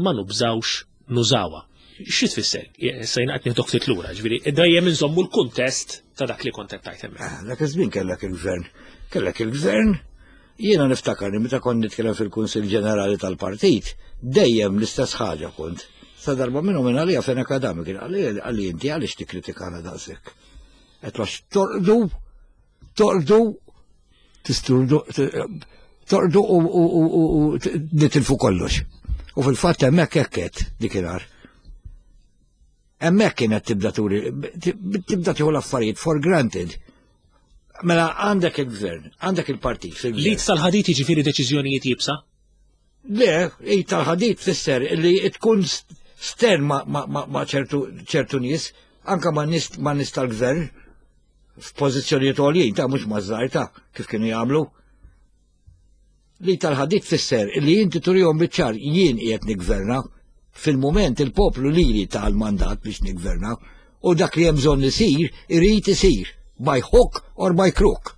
ma nubżawx nużawha. Xi tfisser? Issa jien qed nieħdok ftit lura, ġifieri dejjem inżommu l-kuntest ta' dak li kont qed tgħid hemmhekk. Ah, dak iż-żmien kellek il-gvern. Kellek il-gvern, jiena niftakar li meta kont nitkellem fil-Kunsill Ġenerali tal-Partit, dejjem l-istess ħaġa kont. Sa darba minnhom minn għalija fejn akadami kien għalli inti għaliex tikkritikana daqshekk. Qed għax torqdu, torqdu, tisturdu, torqdu u nitilfu kollox. U fil-fatt hemmhekk hekk qed dikinhar. Hemmhekk kienet tibda turi, tibda tieħu l-affarijiet for granted. Mela għandek il-gvern, għandek il-partit. Li tal-ħadit jiġifieri deċiżjonijiet jibsa? Le, id tal-ħadid tfisser li tkun stern ma' ċertu nies, anka ma' nies ma' nies tal-gvern f'pożizzjonijiet għoljin ta' mhux ma' żgħar ta' kif kienu jagħmlu. Li tal-ħadid tfisser li inti turihom biċ-ċar jien qiegħed niggverna fil-mument il-poplu lili ta l-mandat biex niggverna u dak li hemm bżonn isir irid isir by hook or by crook.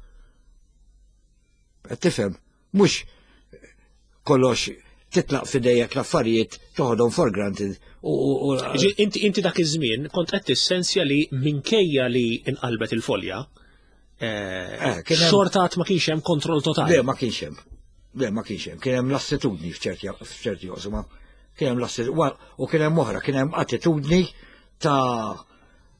Qed tifhem? Mhux kollox titlaq fidejek l-affarijiet toħodhom for granted u Inti inti dak iż-żmien kont qed tissensja li minkejja li inqalbet il-folja, eh, eh, xorta ma kienx hemm kontroll totali. Le, ma kienx hemm. Le, ma kienx hemm. Kien hemm lassitudni f'ċerti oqsma. Kien hemm lassitudni u kien hemm oħra, kien hemm attitudni ta'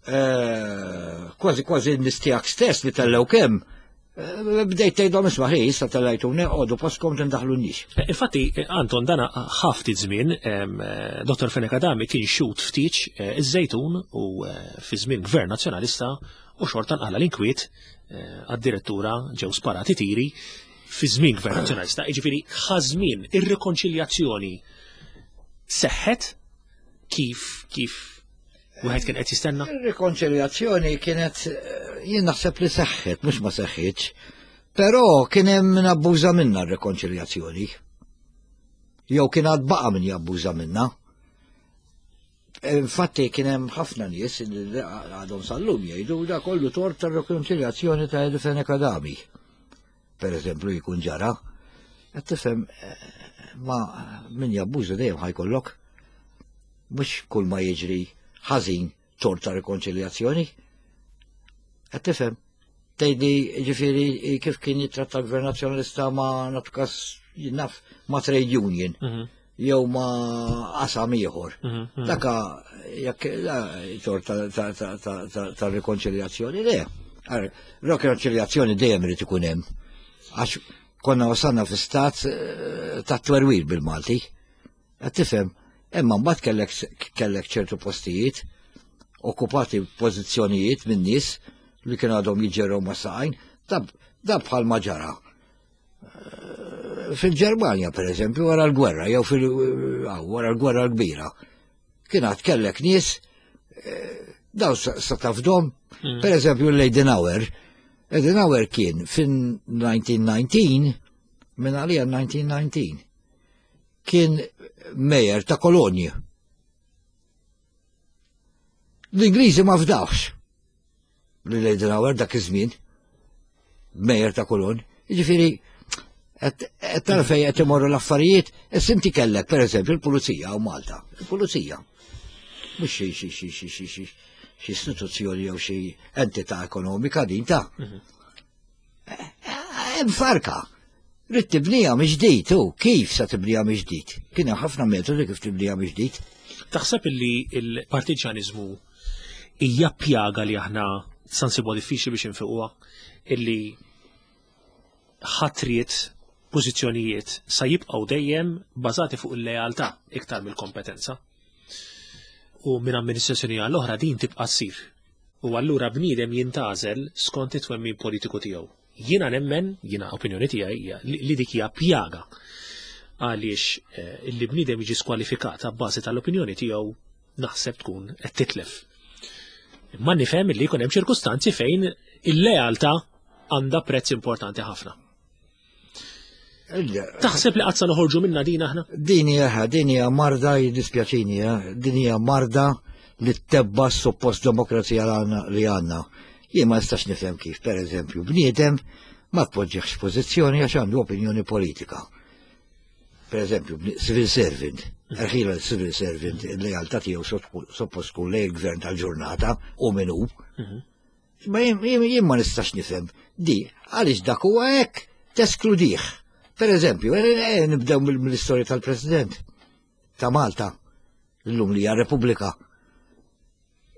eh, kważi kważi n-nies tiegħek stess li tellew kemm eh, bdejt tgħidhom isma' ħi issa tellajtuni qogħdu postkom tindaħlunix. Eh, infatti Anton dana ħafti żmien Dr. Fenech Adami kien xut ftit iż-żejtun u fi żmien Gvern Nazzjonalista u xorta nqala l-inkwiet għad-direttura ġew sparati tiri fi żmien Gvern Nazzjonalista, jiġifieri ħażmien ir-rikonċiljazzjoni seħħet kif kif Wieħed kien qed jistenna? Ir-rikonċiljazzjoni kienet eh, jien naħseb li seħħet, mhux ma seħħitx. Però kien hemm min abbuża minna r-rikonċiljazzjoni. Jew kien għad baqa' min jabbuża minna. Infatti kien hemm ħafna nies li għadhom sal-lum jgħidu da kollu tort tar-rikonċiljazzjoni ta' Eddie Fenech Adami. Per eżempju jkun ġara. Qed tifhem eh, ma min jabbuża dejjem ħajkollok. Mhux kull ma jiġri ħażin tort ta' rikonċiljazzjoni. Qed tifhem? Tgħidli ġifieri kif kien jitratta l-Gvern Nazzjonalista ma nagħtu kas naf ma' trade union mhm. jew ma' qasam ieħor. Mhm, mhm. Daka jekk tort ta' rikonċiljazzjoni le. Rikonċiljazzjoni dejjem irid ikun hemm. Għax konna wasalna fi stat eh, ta' twerwir bil-Malti. Qed tifhem, imma mbagħad kellek kellek ċertu postijiet okkupati pożizzjonijiet minn nies li kienu għadhom jiġġerrew ma' saqajn, da bħal ma ġara. Eh, fil-Ġermanja, per eżempju, wara l-gwerra, jew fil eh, wara l-gwerra l-kbira, kien għad kellek nies eh, daw sa tafdom, mm. per eżempju l-Eidenauer, Eidenauer kien fin-1919, minn għalija 1919, kien mejer ta' kolonji. L-Ingliżi ma fdawx li Eisenhower dak iż-żmien mejer ta' kolon. Jiġifieri qed tara fejn qed imorru l-affarijiet, issa inti kellek pereżempju l-pulizija u Malta. Il-pulizija. Mhux xi xi xi xi xi xi xi istituzzjoni jew xi entità ekonomika din ta' mhm. Hemm farka. Rrid tibniha mill-ġdid u kif sa tibniha mill-ġdid? Kien hemm ħafna metodi kif tibniha mill-ġdid. Taħseb illi l-partiġjaniżmu hija pjaga li aħna sa nsibuha diffiċli biex infiquha illi ħatriet pożizzjonijiet sa jibqgħu dejjem bażati fuq il-lealtà iktar mill-kompetenza. U minn amministrazzjoni għall oħra din tibqa' ssir. U allura bniedem jintgħażel skont it-twemmin politiku tiegħu. Jiena nemmen, jiena opinjoni tiegħi hija li dik hija pjaga għaliex eh, li bniedem jiġi skwalifikat abbażi tal-opinjoni tiegħu naħseb tkun qed titlef. Imma nifhem li jkun hemm ċirkustanzi fejn il-lealtà għandha prezz importanti ħafna. Taħseb li qatt sa noħorġu minna din aħna? Din hija din hija marda jiddispjaċini, eh, din hija marda li tebba suppost demokrazija li għandna. Jien ma nistax nifhem kif, per eżempju, bniedem ma tpoġġieħx pożizzjoni għax għandu opinjoni politika. Per eżempju, civil servant, rħila civil servant, il-lealtà tiegħu suppost tkun lejn il-gvern tal-ġurnata u min hu. Mhm. Ma jien ma nistax nifhem di għaliex dak huwa hekk teskludih. Per eżempju, eh, eh, nibdew mill-istorja tal-President ta' Malta, illum li hija Repubblika.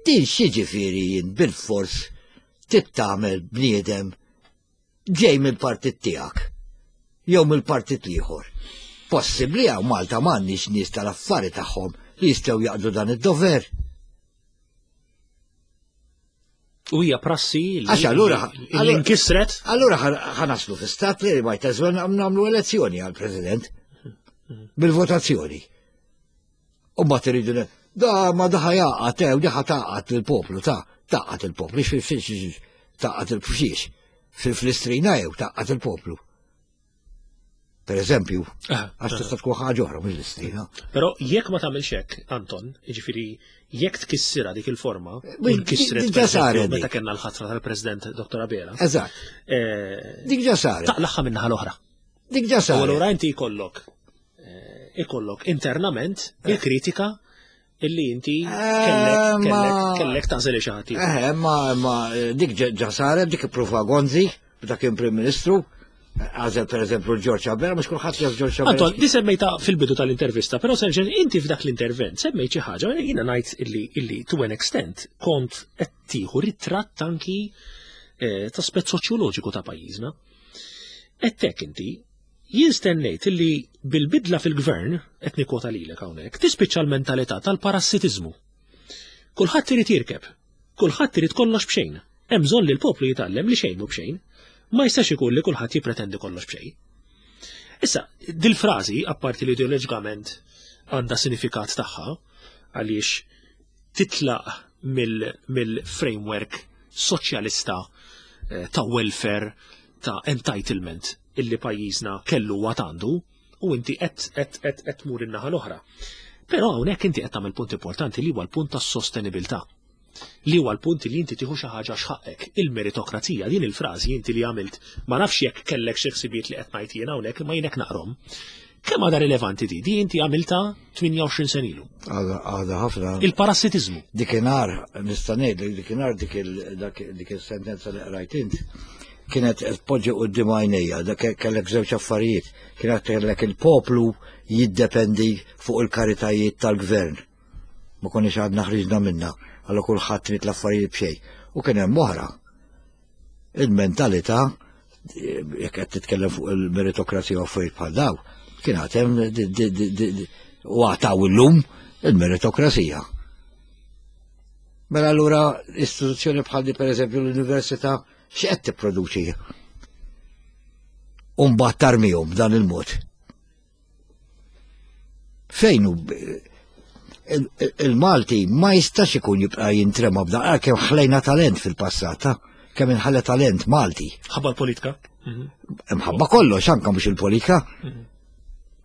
Din x'jiġifieri jien bil-fors tittamel bniedem ġej mill-partit tiegħek jew mill-partit l-ieħor. Possibbli hawn Malta m'għandniex nies tal-affari tagħhom li jistgħu jaqdu dan id-dover. U hija prassi li Għax allura li nkisret. Allura ħanaslu fi stat li ma jtażwel nagħmlu elezzjoni għall-President bil-votazzjoni. U mbagħad iridu da ma daħa jaqgħad eh, u diħa taqgħad lill-poplu ta' taqgħad il-poplu taqgħad il-fxiex fil-istrina jew taqgħad il-poplu. Per eżempju, ah, għax tista' tkun ħaġa oħra mhux l-istrina. Però jekk ma tagħmilx hekk, Anton, jiġifieri jekk tkissirha dik il-forma, eh, nkissret ġa saret meta kellna l-ħatra tal-President Dr. Abela. Eżatt. Eh, dik ġa saret. Taqlaħħa minnaħa l-oħra. Dik ġa saret. U allura inti jkollok eh, ikollok internament il-kritika illi inti kellek kellek kellek tagħżel xi ħadd. Eh, ma ma dik ġa saret dik ippruva Gonzi, dak kien Prim Ministru, għażel per eżempju l-Ġorġ Abela, mhux kulħadd jaf Ġorġ Abela. Anton, di semmejta fil-bidu tal-intervista, però serġen inti f'dak l-intervent semmejt xi ħaġa, jiena ngħid illi illi to an extent kont qed tieħu ritratt anki eh, ta' aspett soċjoloġiku ta' pajjiżna. Qed inti Jien stennejt li bil-bidla fil-gvern, qed nikkwota lilek hawnhekk, tispiċċa l-mentalità tal-parassitiżmu. Kulħadd irid jirkeb. Kulħadd irid kollox b'xejn. Hemm bżonn li l-poplu jitgħallem li xejn mhu b'xejn. Ma jistax ikun li kulħadd jippretendi kollox b'xejn. Issa, dil-frażi, apparti li ideoloġikament għandha sinifikat tagħha, għaliex titlaq mill-framework soċjalista eh, ta' welfare, ta' entitlement illi pajjiżna kellu għad għandu u inti qed qed qed qed tmur in-naħa l-oħra. Però hawnhekk inti qed tagħmel punt importanti li huwa l-punt tas-sostenibilità. Li huwa l-punt li inti tieħu xi ħaġa x'ħaqek. Il-meritokrazija din il-frażi inti li għamilt ma nafx jekk kellek xi ħsibijiet li qed ngħid jien hawnhekk imma jien hekk naqrom. Kemm għadha rilevanti di? Di inti għamilta 28 sen ilu. Għadha ħafna. Il-parassitiżmu. Dikinhar, nista' ngħidlek dikinhar dik il-sentenza li qrajt int. kienet tpoġġi quddiem għajnejja, dak kellek żewġ affarijiet, kienet kellek il-poplu jiddependi fuq il-karitajiet tal-gvern. Ma konniex għadna ħriġna minna, għallu kulħadd trid l-affarijiet b'xejn. U kien hemm oħra. Il-mentalità, jekk qed titkellem fuq il-meritokrazija u affarijiet bħal daw, kien għad hemm u għataw illum il-meritokrazija. Mela allura istituzzjoni bħal di pereżempju l-università x'qed tipproduċi? U mbagħad tarmihom b'dan il-mod. Fejn hu il-Malti ma jistax ikun jibqa' jintrema b'dan għalkemm ħlejna talent fil-passat, kemm inħalla talent Malti. Ħabba l-politika? Mħabba kollox, anka mhux il-politika.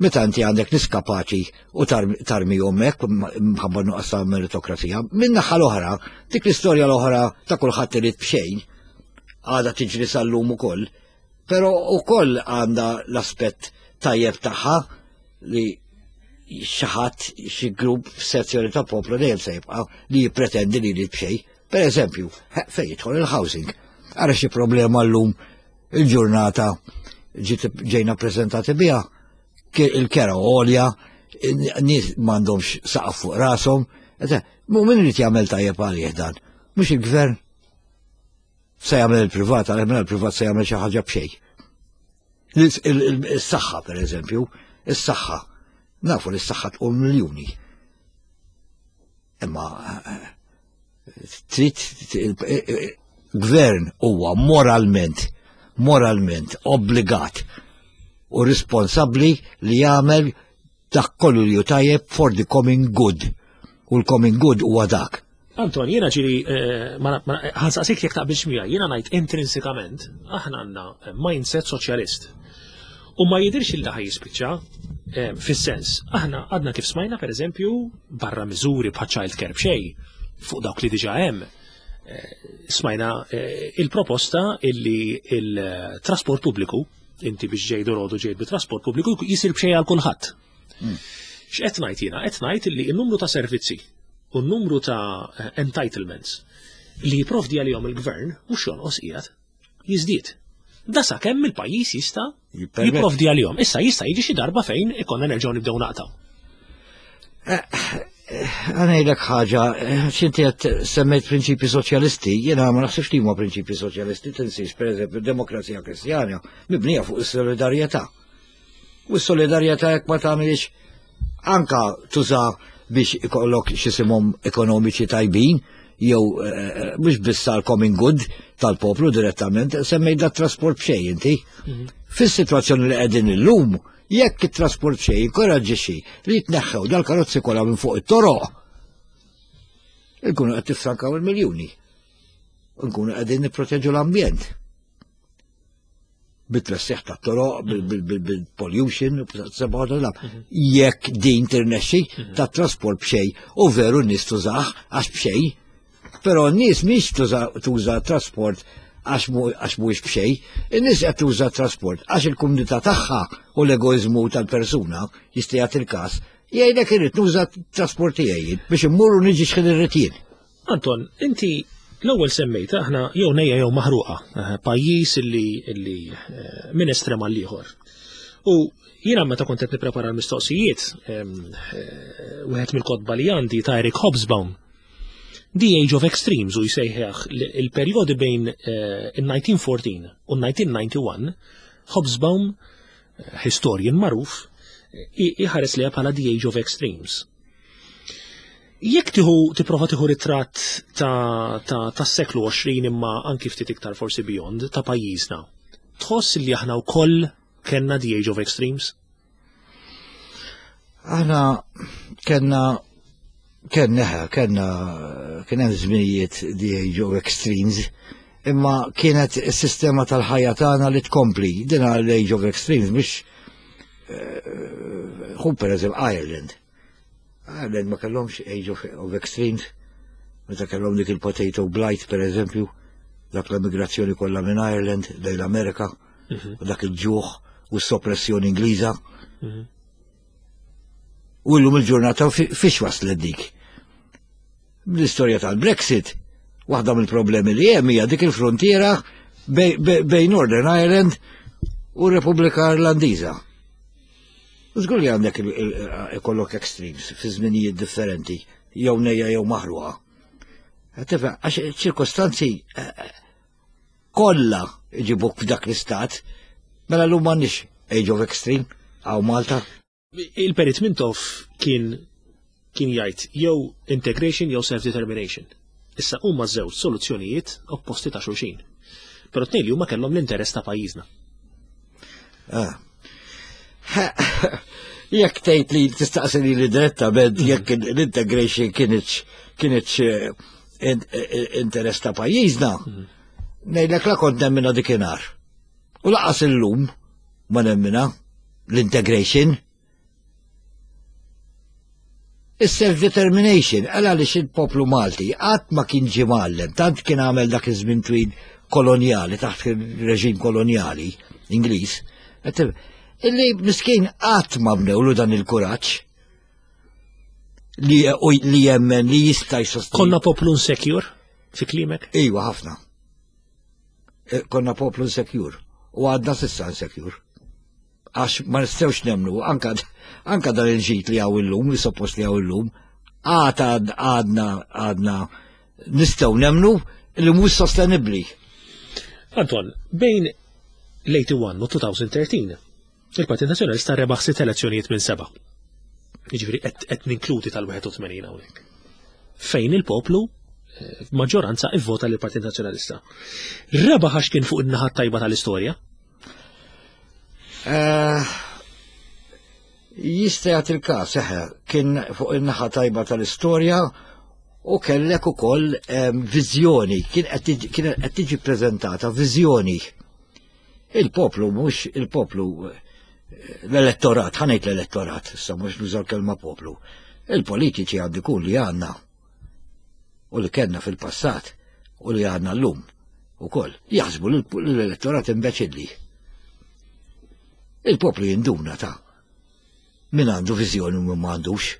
Meta inti għandek nies kapaċi u tarmihom hekk mħabba nuqqas ta' meritokrazija. Min-naħa l-oħra, dik l-istorja l-oħra ta' kulħadd irid b'xejn, għadha tiġri sal-lum ukoll, però ukoll għandha l-aspett tajjeb tagħha li xi ħadd xi grupp f'sezzjoni ta' poplu dejjem se jibqa' li jippretendi li jrid b'xejn. Per eżempju, fejn jidħol il-housing. Ara xi problema llum il-ġurnata ġejna prezentati biha il-kera għolja, nies m'għandhomx saqaf fuq rashom. Mu min irid jagħmel tajjeb għalih dan? Mhux il-gvern se jagħmel il-privat, għalih mela il-privat se jagħmel xi ħaġa b'xejn. Is-saħħa per eżempju, is-saħħa. Nafu li s-saħħa tqum miljuni. Imma trid gvern huwa moralment moralment obbligat u responsabbli li jagħmel dak kollu li hu tajjeb for the common good. U l-common good huwa dak. Anton, jiena ġiri, eh, ħansaqsik jekk taqbilx miegħi, jiena ngħid intrinsikament aħna għandna mindset soċjalist. U ma jidirx il ħaj jispiċċa eh, fis-sens. Aħna għadna kif smajna pereżempju barra miżuri bħal child care b'xejn fuq dawk li diġà hemm. Eh, smajna eh, il-proposta illi il-trasport pubbliku, inti biex ġej dorodu ġej bit-trasport pubbliku jisir b'xejn għal kulħadd. X'qed ngħid jiena? Qed ngħid illi n-numru ta' servizzi u n-numru ta' entitlements li jipprovdi għalihom il-gvern mhux jonqos qiegħed jiżdied. Da sakemm il-pajjiż jista' jipprovdi għalihom. Issa jista' jiġi xi darba fejn ikonna nerġgħu nibdew naqtaw. Eh, eh, Għanajdlek ħaġa, eh, xinti għed semmejt prinċipi soċjalisti, jena ma naħsibx li huma prinċipi soċjalisti, tinsiex per eżempju demokrazija kristjana mibnija fuq is-solidarjetà. U s-solidarjetà jekk ma tagħmilx anka tuża biex ikollok xisimhom ekonomiċi tajbin, jew eh, eh, mhux biss għal common good tal-poplu direttament, semmej da trasport b'xejn inti. Mhm. Fis-sitwazzjoni li qegħdin illum, jekk it-trasport b'xejn inkoraġġixxi li jitneħħew dal-karozzi kollha minn fuq it-toroq, nkunu qed tifrankaw il-miljuni. Nkunu qegħdin nipproteġu l-ambjent. bit-tressiħ ta' toroq, bil-pollution, mhm. jekk din tirnexxi mhm. ta' trasport b'xej u veru n-nies tużaħ għax b'xej, però n-nies mhix tuża trasport għax mhuwiex b'xej, in-nies qed tuża trasport għax il-kumdità tagħha u l-egoiżmu tal-persuna jista' jagħti il-każ jgħidlek irid nuża trasport tiegħi biex immur u niġi x'ħin irrid jien. Anton, inti l-ewwel semmejt aħna jew nejja jew maħruqa, eh, pajjiż illi illi eh, minn estrem għal ieħor. U jiena meta kont qed nipprepara l-mistoqsijiet, eh, wieħed mill-kotba li għandi ta' Eric Hobsbawm, The Age of Extremes u jsejħeħ il-perjodi bejn il-1914 u 1991, Hobsbawm, historian magħruf, iħares li bħala The Age of Extremes. Jekk tieħu tipprova tieħu ritratt ta' tas-seklu 20 imma anki ftit iktar forsi beyond ta' pajjiżna, tħoss li aħna wkoll kellna the age of extremes? Aħna kellna kellna kellna kien hemm żminijiet the age of extremes imma kienet is-sistema tal-ħajja tagħna li tkompli din l-age of extremes biex eh, hu pereżempju Ireland Ireland ma kellhomx age of, of extremes, meta kellhom dik il-potato blight per eżempju, dak l-emigrazzjoni kollha minn Ireland lejn l-Amerika, mhm. u dak il-ġuħ u s-soppressjoni Ingliża. Mhm. U llum il-ġurnata fiex waslet dik. L-istorja tal-Brexit, waħda mill-problemi li hemm hija dik il-frontiera bejn Northern Ireland u Repubblika Irlandiża. Żgur li għandek ikollok extremes fi żminijiet differenti, jew nejja jew maħruqa. Tifhem, għax ċirkostanzi eh, eh, kollha iġibuk f'dak l-istat, mela l-lum m'għandniex age of extreme għaw Malta. Il-Perit Mintoff kien kien jgħid jew integration jew self-determination. Issa huma żewġ soluzzjonijiet opposti ta' xulxin. Però tnejn li huma kellhom l-interess ta' pajjiżna. Ah. Jekk tgħid li tistaqsi li direttament mm. jekk l-integration kienx kienx eh, eh, interess ta' pajjiżna, mm. ngħidlek la kont nemmina dikinhar. U laqas illum ma nemmina l-integration. Is-self-determination, għal għaliex il-poplu Malti qatt ma kien ġie mgħallem, tant kien għamel dak iż-żmien twil kolonjali, taħt il-reġim kolonjali Ingliż, illi miskin qatt ma bnewlu dan il-kuraġġ li, li jemmen li jista' jsostni. Konna poplu insecure fi klimek? Iwa, ħafna. Eh, konna poplu insecure u għadna sissa insecure. Għax ma nistgħux nemnu, anka, anka dan il-ġit li għaw illum, li suppost li għaw illum, għad għadna għadna nistgħu nemnu li mhux sostenibbli. Anton, bejn l-81 u 2013, il-Partit Nazzjonalista rebaħ sitt elezzjonijiet minn seba'. Jiġifieri qed ninkludi tal-81 hawnhekk. Fejn il-poplu eh, maġġoranza ivvota lill partit Nazzjonalista. Rebaħ għax kien fuq in-naħa tajba tal-istorja? Eh, jista' jagħti il-każ, eħe, kien fuq in-naħa tajba tal-istorja u kellek ukoll ehm, viżjoni, kien qed tiġi preżentata viżjoni Il-poplu mhux il-poplu l-elettorat, ħanejt l-elettorat, issa mhux nuża l-kelma poplu. Il-politiċi għandu jkun li għandna u li kellna fil-passat u li għandna llum ukoll jaħsbu l-elettorat imbeċilli. Il-poplu jinduna ta' min għandu viżjoni u min m'għandux.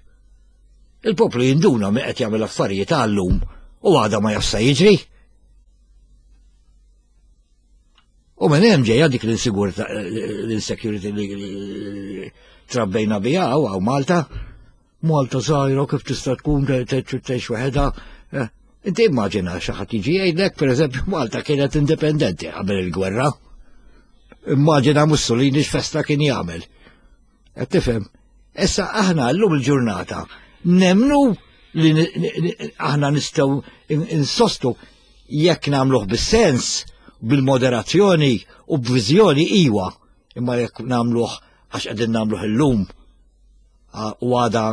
Il-poplu jinduna min qed jagħmel affarijiet għallum u għada ma jafsa jiġri. U minn hemm ġejja dik l-insigurtà l-insecurity li trabbejna biha hawn Malta. Malta żgħira kif tista' tkun tgħix waħedha. Eh, inti immaġina xi ħadd jiġi jgħidlek pereżempju Malta kienet indipendenti qabel il-gwerra. Immaġina Mussolini x'festa kien jagħmel. Qed tifhem? Issa aħna llum il-ġurnata nemnu li aħna nistgħu insostu jekk nagħmluh bis-sens, bil-moderazzjoni u b'viżjoni iwa, imma jekk nagħmluh għax qegħdin nagħmluh illum u għada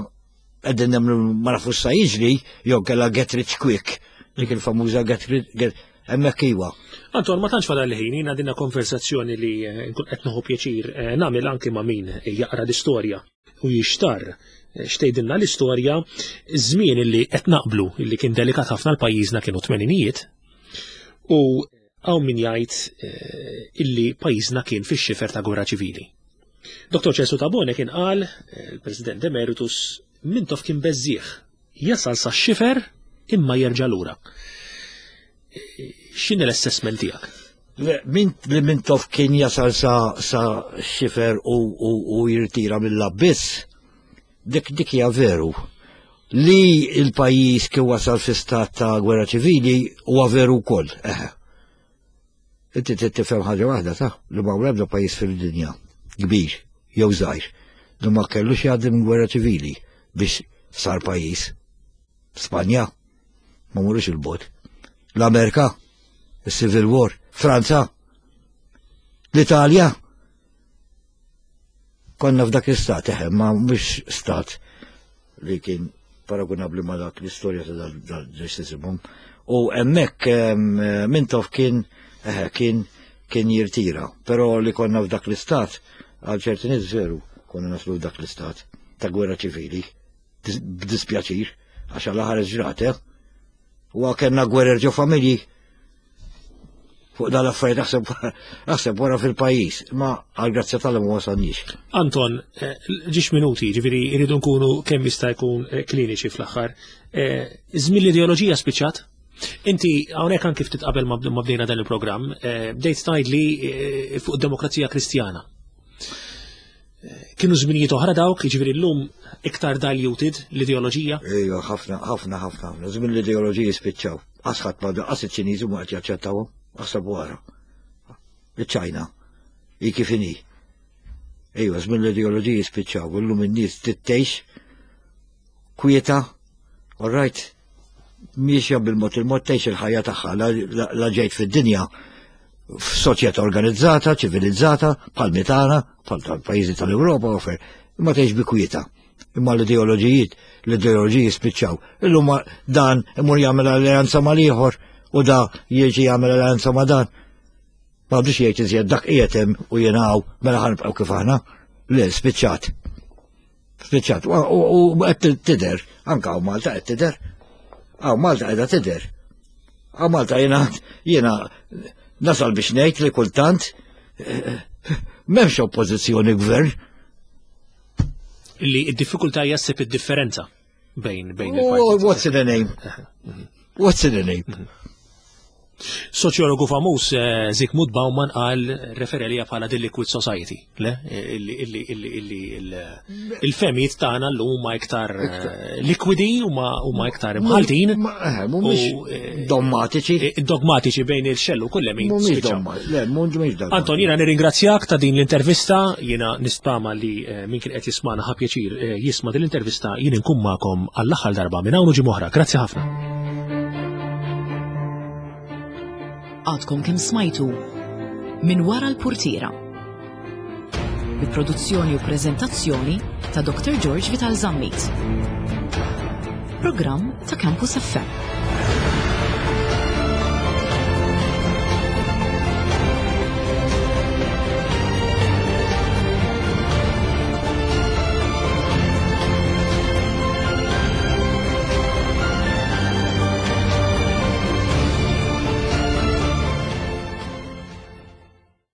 qegħdin nagħmlu ma nafux sa jiġri jew kellha get rich quick, dik il-famuża get rich hemmhekk iwa. Anton, ma tantx fadal ħin, jiena dinna konversazzjoni li eh, nkun qed nieħu pjaċir eh, nagħmel anki ma' min jaqra l-istorja u jixtar eh, xtejdilna l-istorja żmien illi qed naqblu illi kien delikat ħafna l-pajjiżna kienu tmeninijiet u hawn min jgħid illi pajjiżna kien fix-xifer ta' gwerra ċivili. Dr. Ċelsu Tabone kien qal, il-President Emeritus, Mintoff kien beżżieħ, jasal sa xifer imma jerġa' lura. X'inhi l-assessment tiegħek? Li Mintoff kien jasal sa, sa xifer u, u, u jirtira mill-abbiss, dik dik hija veru. Li il-pajjiż kien wasal fi stat ta' gwerra ċivili huwa veru wkoll. Eħe. Inti trid tifhem ħaġa waħda ta' li ma ebda pajjiż fil-dinja kbir jew żgħir li ma kellux jgħaddi minn gwerra ċivili biex sar pajjiż. Spanja ma murux il-bot. L-Amerika, il-Civil War, Franza, l-Italja. Konna f'dak l-istat, eħe, ma mhux stat li kien paragunabli ma dak l-istorja ta' dal-ġestisimum. U hemmhekk Mintoff kien eħe, kien kien jirtira, però li konna f'dak l-istat għal ċerti nies veru konna naslu f'dak l-istat ta' gwerra ċivili b'dispjaċir għax għal ħares ġrat, eh? U kellna gwerer ġo familji fuq dal-affarijiet aħseb aħseb wara fil-pajjiż, ma għal grazzja tal ma wasalniex. Anton, eh, ġiex minuti, ġifieri jridu nkunu kemm jista' jkun eh, kliniċi fl-aħħar. Eh, żmien l-ideoloġija spiċċat? Inti hawnhekk anki ftit qabel ma bdejna dan il-programm, eh, bdejt tgħidli eh, fuq demokrazija kristjana. Eh, kienu żminijiet oħra dawk, jiġifieri llum iktar diluted l-ideoloġija? Ejja, ħafna, ħafna, ħafna. Żmien l-ideoloġiji spiċċaw. Qas ħadd ma qas iċ-Ċiniżi ma qed jaċċettawhom, aħseb wara. Iċ-Ċajna, hi kif inhi. Ejwa, żmien l-ideoloġiji spiċċaw, illum in-nies tgħix kwieta, all right, miexja bil-mod il-mod tgħix il-ħajja tagħha la ġejt fid-dinja f'soċjetà organizzata, ċivilizzata, bħal mitana, bħal tal-pajjiżi tal-Ewropa, u imma tgħix bi kwieta. Imma l-ideoloġijiet, l-ideoloġiji spiċċaw. Illum dan imur jagħmel alleanza mal-ieħor u da jiġi jagħmel alleanza ma' dan. Ma għadux jgħid iżjed dak qiegħed hemm u jiena hawn mela ħa nibqgħu kif aħna. Le, spiċċat. Spiċċat. U qed tidher, anke hawn Malta qed tidher. Hawn Malta qiegħda tidher. Hawn Malta jiena jiena nasal biex ngħid li kultant eh, m'hemmx oppożizzjoni gvern. Li d-diffikultà hija ssib id-differenza bejn bejn il What's in the name? What's in the name? Soċjologu famuż eh, Zygmunt Bauman qal referelija bħala the liquid society, le? Il-fehmiet tagħna llum huma iktar eh, likwidi huma iktar imħaltin. Eh, mhumiex dommatiċi. Dogmatiċi bejn il-xellug u l-lemin. Le, mhumiex dogmatiċi. Anton, jiena nirringrazzjak ta' din l-intervista, jiena nispera li min kien qed jismana ħa pjaċir jisma' din l-intervista, jien inkun magħkom għall-aħħar darba minn hawn u ġimgħa oħra. Grazzi ħafna. Għadkom kemm smajtu minn wara l-purtiera. Bi produzzjoni u prezentazzjoni ta' Dr. George Vital Zammit. Programm ta' Campus FM.